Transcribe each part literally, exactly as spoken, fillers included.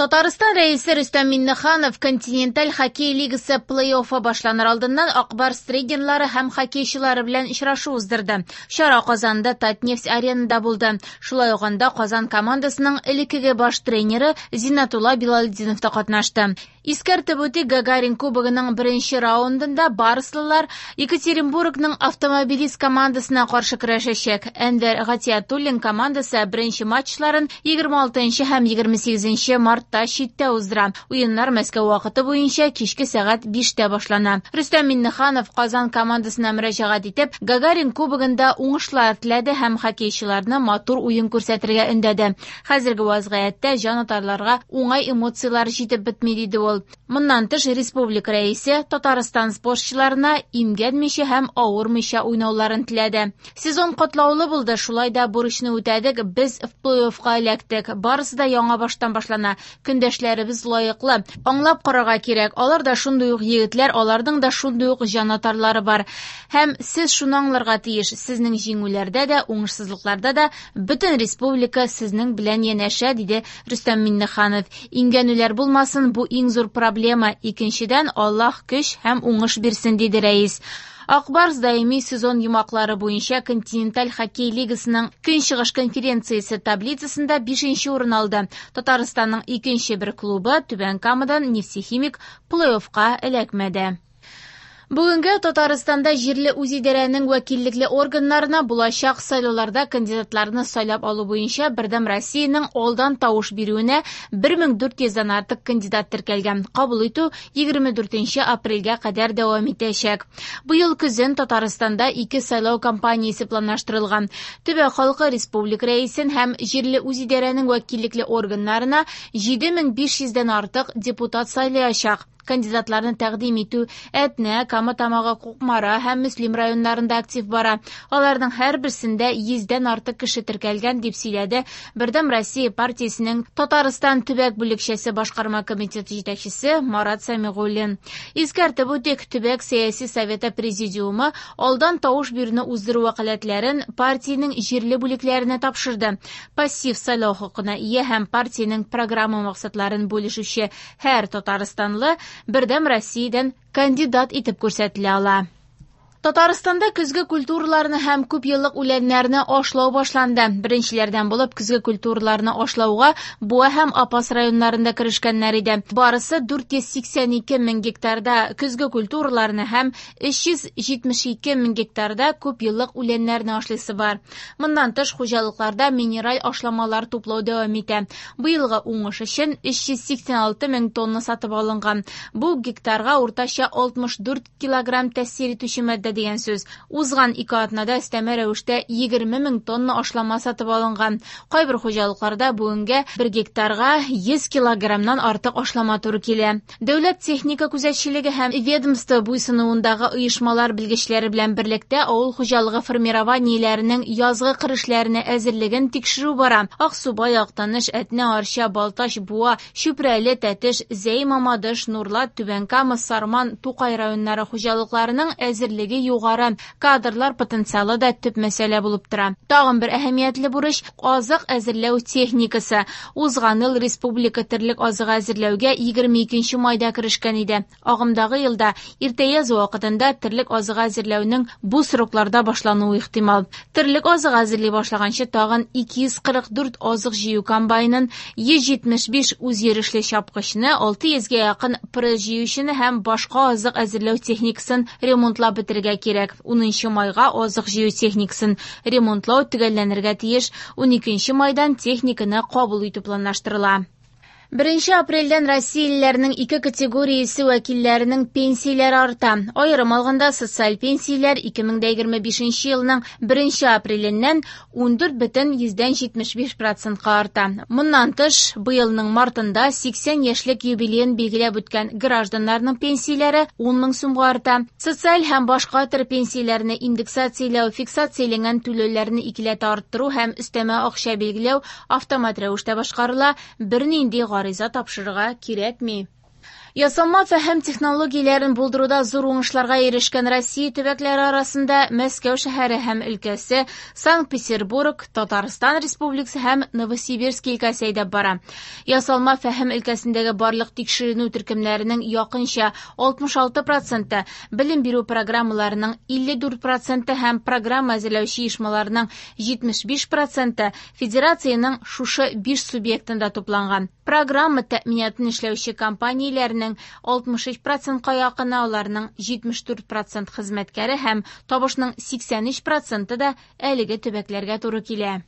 Татарстан Рәисе Рөстәм Миңнеханов Континенталь хоккей лигасы плей-оффы башланыр алдыннан Ак Барс тренерлары һәм хоккейчылары белән очрашу уздырды. Чара Казанда Татнефть аренада булды. Шулай ук анда Казан командасының элеккеге баш тренеры Зиннәтулла Билалетдинов та катнашты. Искәртеп үтик, Гагарин кубогының беренче раундында барслылар Екатеринбургның Автомобилист командасына каршы көрәшәчәк. Әнвәр Гатиятуллин командасы беренче матчларын егерме алтынчы һәм егерме сигезенче мартта читтә уздыра. Уеннар Мәскәү вакыты буенча кичке сәгать биштә башлана. Рөстәм Миңнеханов Казан командасына мөрәҗәгать итеп, Гагарин кубогында уңышлар теләде һәм хоккейчыларны матур уен күрсәтергә өндәде. Хәзерге вазгыятьтә җанатарларга уңай эмоцияләр җитеп бетми, диде ул. Моннан тыш, республика рәисе Татарстан спортчыларына имгәнмичә һәм авырмыйча уйнауларын теләде. Сезон катлаулы булды, шулай да бурычны үтәдек, без в плей-оффка эләктек. Барысы да яңа баштан башлана. Көндәшләребез лаеклы. Аңлап карарга кирәк, алар да шундый ук егетләр, аларның да шундый ук җанатарлары бар. Һәм сез шуны аңларга тиеш, сезнең җиңүләрдә дә, уңышсызлыкларда да бөтен республика сезнең белән янәшә, диде Рөстәм Миңнеханов. Имгәнүләр булмасын, бу иң зур проблема. Икенчедән, Аллаһ көч һәм уңыш бирсен, диде рәис. Ак Барс даими сезон йомгаклары буенча Континенталь хоккей лигасының Көнчыгыш конференциясе таблицасында бишенче урын алды. Татарстанның икенче бер клубы Түбән Камадан Нефтехимик плей-оффка эләкмәде. Бүгенге Татарстанда җирле үзидарәнең вәкиллекле органнарына булачак сайлауларда кандидатларны сайлап алу буенча Бердәм Россиянең алдан тавыш бирүенә бер мең дүрт йөздән артык кандидат теркәлгән. Кабул итү егерме дүртенче апрельгә кадәр дәвам итәчәк. Быел көзен Татарстанда ике сайлау кампаниясе планлаштырылган. Төбәк халкы республика рәисен һәм җирле үзидарәнең вәкиллекле органнарына җиде мең биш йөздән артык депутат сайлаячак. Кандидатларны тәкъдим итү Әтнә, Кама Тамагы, Кукмара һәм Мөслим районнарында актив бара. Аларның һәрберсендә йөздән артык кеше теркәлгән, дип сөйләде Бердәм Россия партиясенең Татарстан төбәк бүлекчәсе башкарма комитеты җитәкчесе Марат Сәмигуллин. Искәртеп үтик, төбәк сәяси советы президиумы алдан тавыш бирүне уздыру вәкаләтләрен партиянең җирле бүлекләренә тапшырды. Пассив сайлау хокукына ия һәм партиянең программа максатларын бүлешүче һәр татарстанлы Бердәм Россиядән кандидат итеп күрсәтелә ала. Татарстанда көзге культураларны һәм күп еллык үләннәрне ашлау башланды. Беренчеләрдән булып көзге культураларны ашлауга Буа һәм Апас районнарында керешкәннәр иде. Барысы дүрт йөз сиксән ике мең гектарда көзге культураларны һәм өч йөз җитмеш ике мең гектарда күп еллык үләннәрне ашлыйсы бар. Моннан тыш хуҗалыкларда минераль ашламалар туплау дәвам итә. Быелгы уңыш өчен өч йөз сиксән алты мең тонна сатып алынган. Бу гектарга уртача алтмыш дүрт килограмм тәэсир итүче матдә дигән сүз. Узган ике атнада өстәмә рәвештә егерме мең тонна ашлама сатып алынган. Кайбер хуҗалыкларда бүгенгә бер гектарга йөз килограммнан артык ашлама туры килә. Дәүләт техника күзәтчелеге һәм ведомство буйсынуындагы оешмалар белгечләре белән берлектә авыл хуҗалыгы формированиеләренең язгы кыр эшләренә әзерлеген тикшерү бара. Аксубай, Актаныш, Әтнә, Арча, Балтач, Буа, Чүпрәле, Тәтеш, Зәй, Мамадыш, Нурлат, Түбән Кама, Сарман, Тукай районнары хуҗалыкларының әзерлеге югары. Кадрлар потенциалы да төп мәсьәлә булып тора. Тагын бер әһәмиятле бурыч азык әзерләү техникасы. Узган ел республика терлек азыгы әзерләүгә егерме икенче майда керешкән иде. Агымдагы елда иртә яз вакытында терлек азыгы әзерләүнең бу срокларда башлануы ихтимал. Терлек азыгы әзерли башлаганчы тагын ике йөз кырык дүрт азык җыю комбайнын, йөз җитмеш биш үзйөрешле чапкычны, алты йөзгә якын пресс җыючыны һәм башка азык әзерләү техникасын ремонтлап бетерергә кирәк. Унынчы майга азык җыю техникасын ремонтлау төгәлләнергә тиеш. Уникенче майдан техниканы кабул итү планлаштырыла. Беренче апрельдән Россиялеләрнең ике категориясе вәкилләренең пенсияләре арта. Аерым алганда социаль пенсияләр ике мең дә егерме бишенче елның беренче апреленнән ундүрт бөтен йөздән җитмеш биш процентка арта. Моннан тыш, быелның мартында сиксән яшьлек юбилеен билгеләп үткән гражданнарның пенсияләре ун мең сумга арта. Социаль һәм башка төр пенсияләрне индексацияләү, фиксацияләнгән түләүләрне икеләтә арттыру һәм өстәмә акча билгеләү автомат рәвештә башкарыла. Бернинди гариза тапшырырга кирәкми. Ясалма фәһем технологияләрен булдыруда зур уңышларга ирешкән Россия төбәкләре арасында Мәскәү шәһәре һәм өлкәсе, Санкт-Петербург, Татарстан Республикасы һәм Новосибирск өлкәсе әйдәп бара. Ясалма фәһем өлкәсендәге барлык тикшеренү төркемнәренең якынча алтмыш алты проценты, белем бирү программаларының илле дүрт проценты һәм программа әзерләүче оешмаларның җитмеш биш проценты федерациянең шушы биш субъектында тупланган. Программа тәэминатын эшләүче компанияләрнең алтмыш өч процентка якыны, аларның җитмеш дүрт процент хезмәткәре һәм табышның сиксән өч проценты да әлеге төбәкләргә туры килә.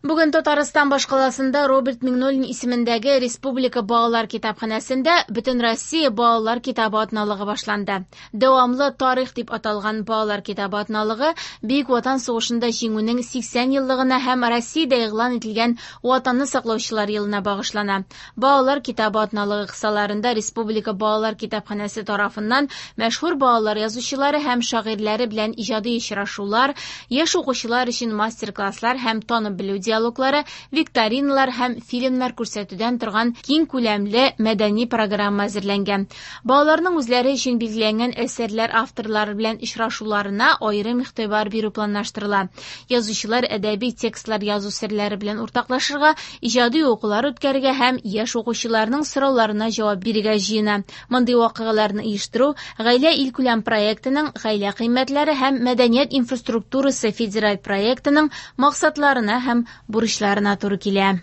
Бүген Татарстан башкаласында Роберт Миңнуллин исемендәге Республика балалар китапханәсендә Бөтенроссия балалар китабы атналыгы башланды. Дәвамлы тарих дип аталган балалар китабы атналыгы Бөек Ватан сугышында җиңүнең сиксән еллыгына һәм Россиядә игълан ителгән Ватанны саклаучылар елына багышлана. Балалар китабы атналыгы кысаларында Республика балалар китапханәсе тарафыннан мәшһүр балалар язучылары һәм шагыйрьләре белән иҗади очрашулар, яшь укучылар өчен мастер-класслар һәм танып белү диалоглары, викториналар һәм фильмнар күрсәтүдән торган киң күләмле мәдәни программа әзерләнгән. Балаларның үзләре өчен билгеләнгән әсәрләр авторлары белән очрашуларына аерым игътибар бирү планлаштырыла. Язучылар әдәби текстлар язу серләре белән уртаклашырга, иҗади укулар үткәрергә һәм яшь укучыларның сорауларына җавап бирергә җыена. Мондый вакыйгаларны оештыру Гаилә илкүләм проектының Гаилә кыйммәтләре һәм мәдәният инфраструктурасы федераль проектының максатларына һәм бурычларына туры килә.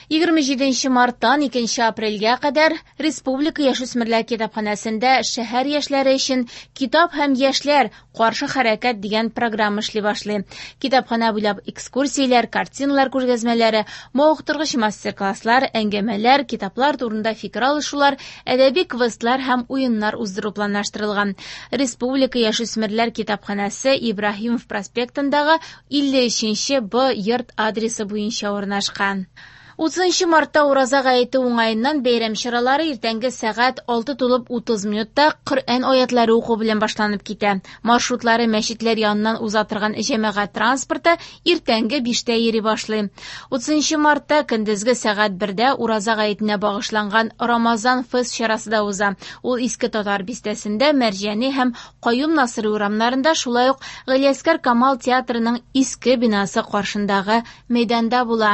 Егерме җиденче марттан икенче апрельгә кадәр Республика яшүсмерләр китапханәсендә шәһәр яшьләре өчен Китап һәм яшьләр каршы хәрәкәт дигән программа эшли башлый. Китапханә буйлап экскурсияләр, картиналар күргәзмәләре, мавыктыргыч мастер-класслар, әңгәмәләр, китаплар турында фикер алышулар, әдәби квестлар һәм уеннар уздыру планлаштырылган. Республика яшүсмерләр китапханәсе Ибраһимов проспектындагы илле өченче Б йорт адресы буенча урнашкан. Утызынчы мартта ураза гаете уңаеннан бәйрәм чаралары иртәнге сәгать алты тулып утыз минутта Коръән аятлары уку белән башланып китә. Маршрутлары мәчетләр яныннан уза торган җәмәгать транспорты иртәнге биштә йөри башлый. Утызынчы мартта көндезге сәгать бердә ураза гаетенә багышланган Рамазан фест чарасы да уза. Ул Иске Татар бистәсендә Мәрҗани һәм Каюм Насыйри урамнарында, шулай ук Галиәсгар Камал театрының иске бинасы каршындагы мәйданда була.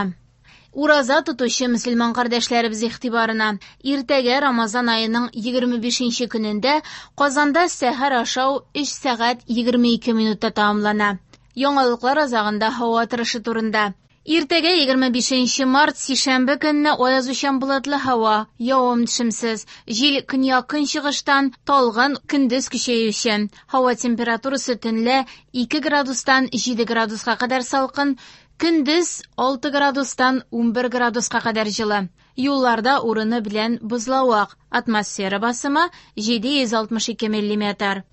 Ураза тотучы мөселман кардәшләребез игътибарына. Иртәгә Рамазан аеның егерме бишенче көнендә Казанда сәхәр ашау өч сәгать егерме ике минутта тәмамлана. Яңалыклар азагында һава торышы турында. Иртәгә егерме бишенче март сишәмбе көнне аязучан болытлы һава, явым-төшемсез, җил көньяк-көнчыгыштан талгын, көндез көчәюче. Һава температурасы төнлә ике градустан җиде градуска кадәр салкын, көндез алты градустан унбер градуска кадәр җылы. Юлларда урыны белән бозлавык, атмосфера басымы җиде йөз алтмыш ике миллиметр.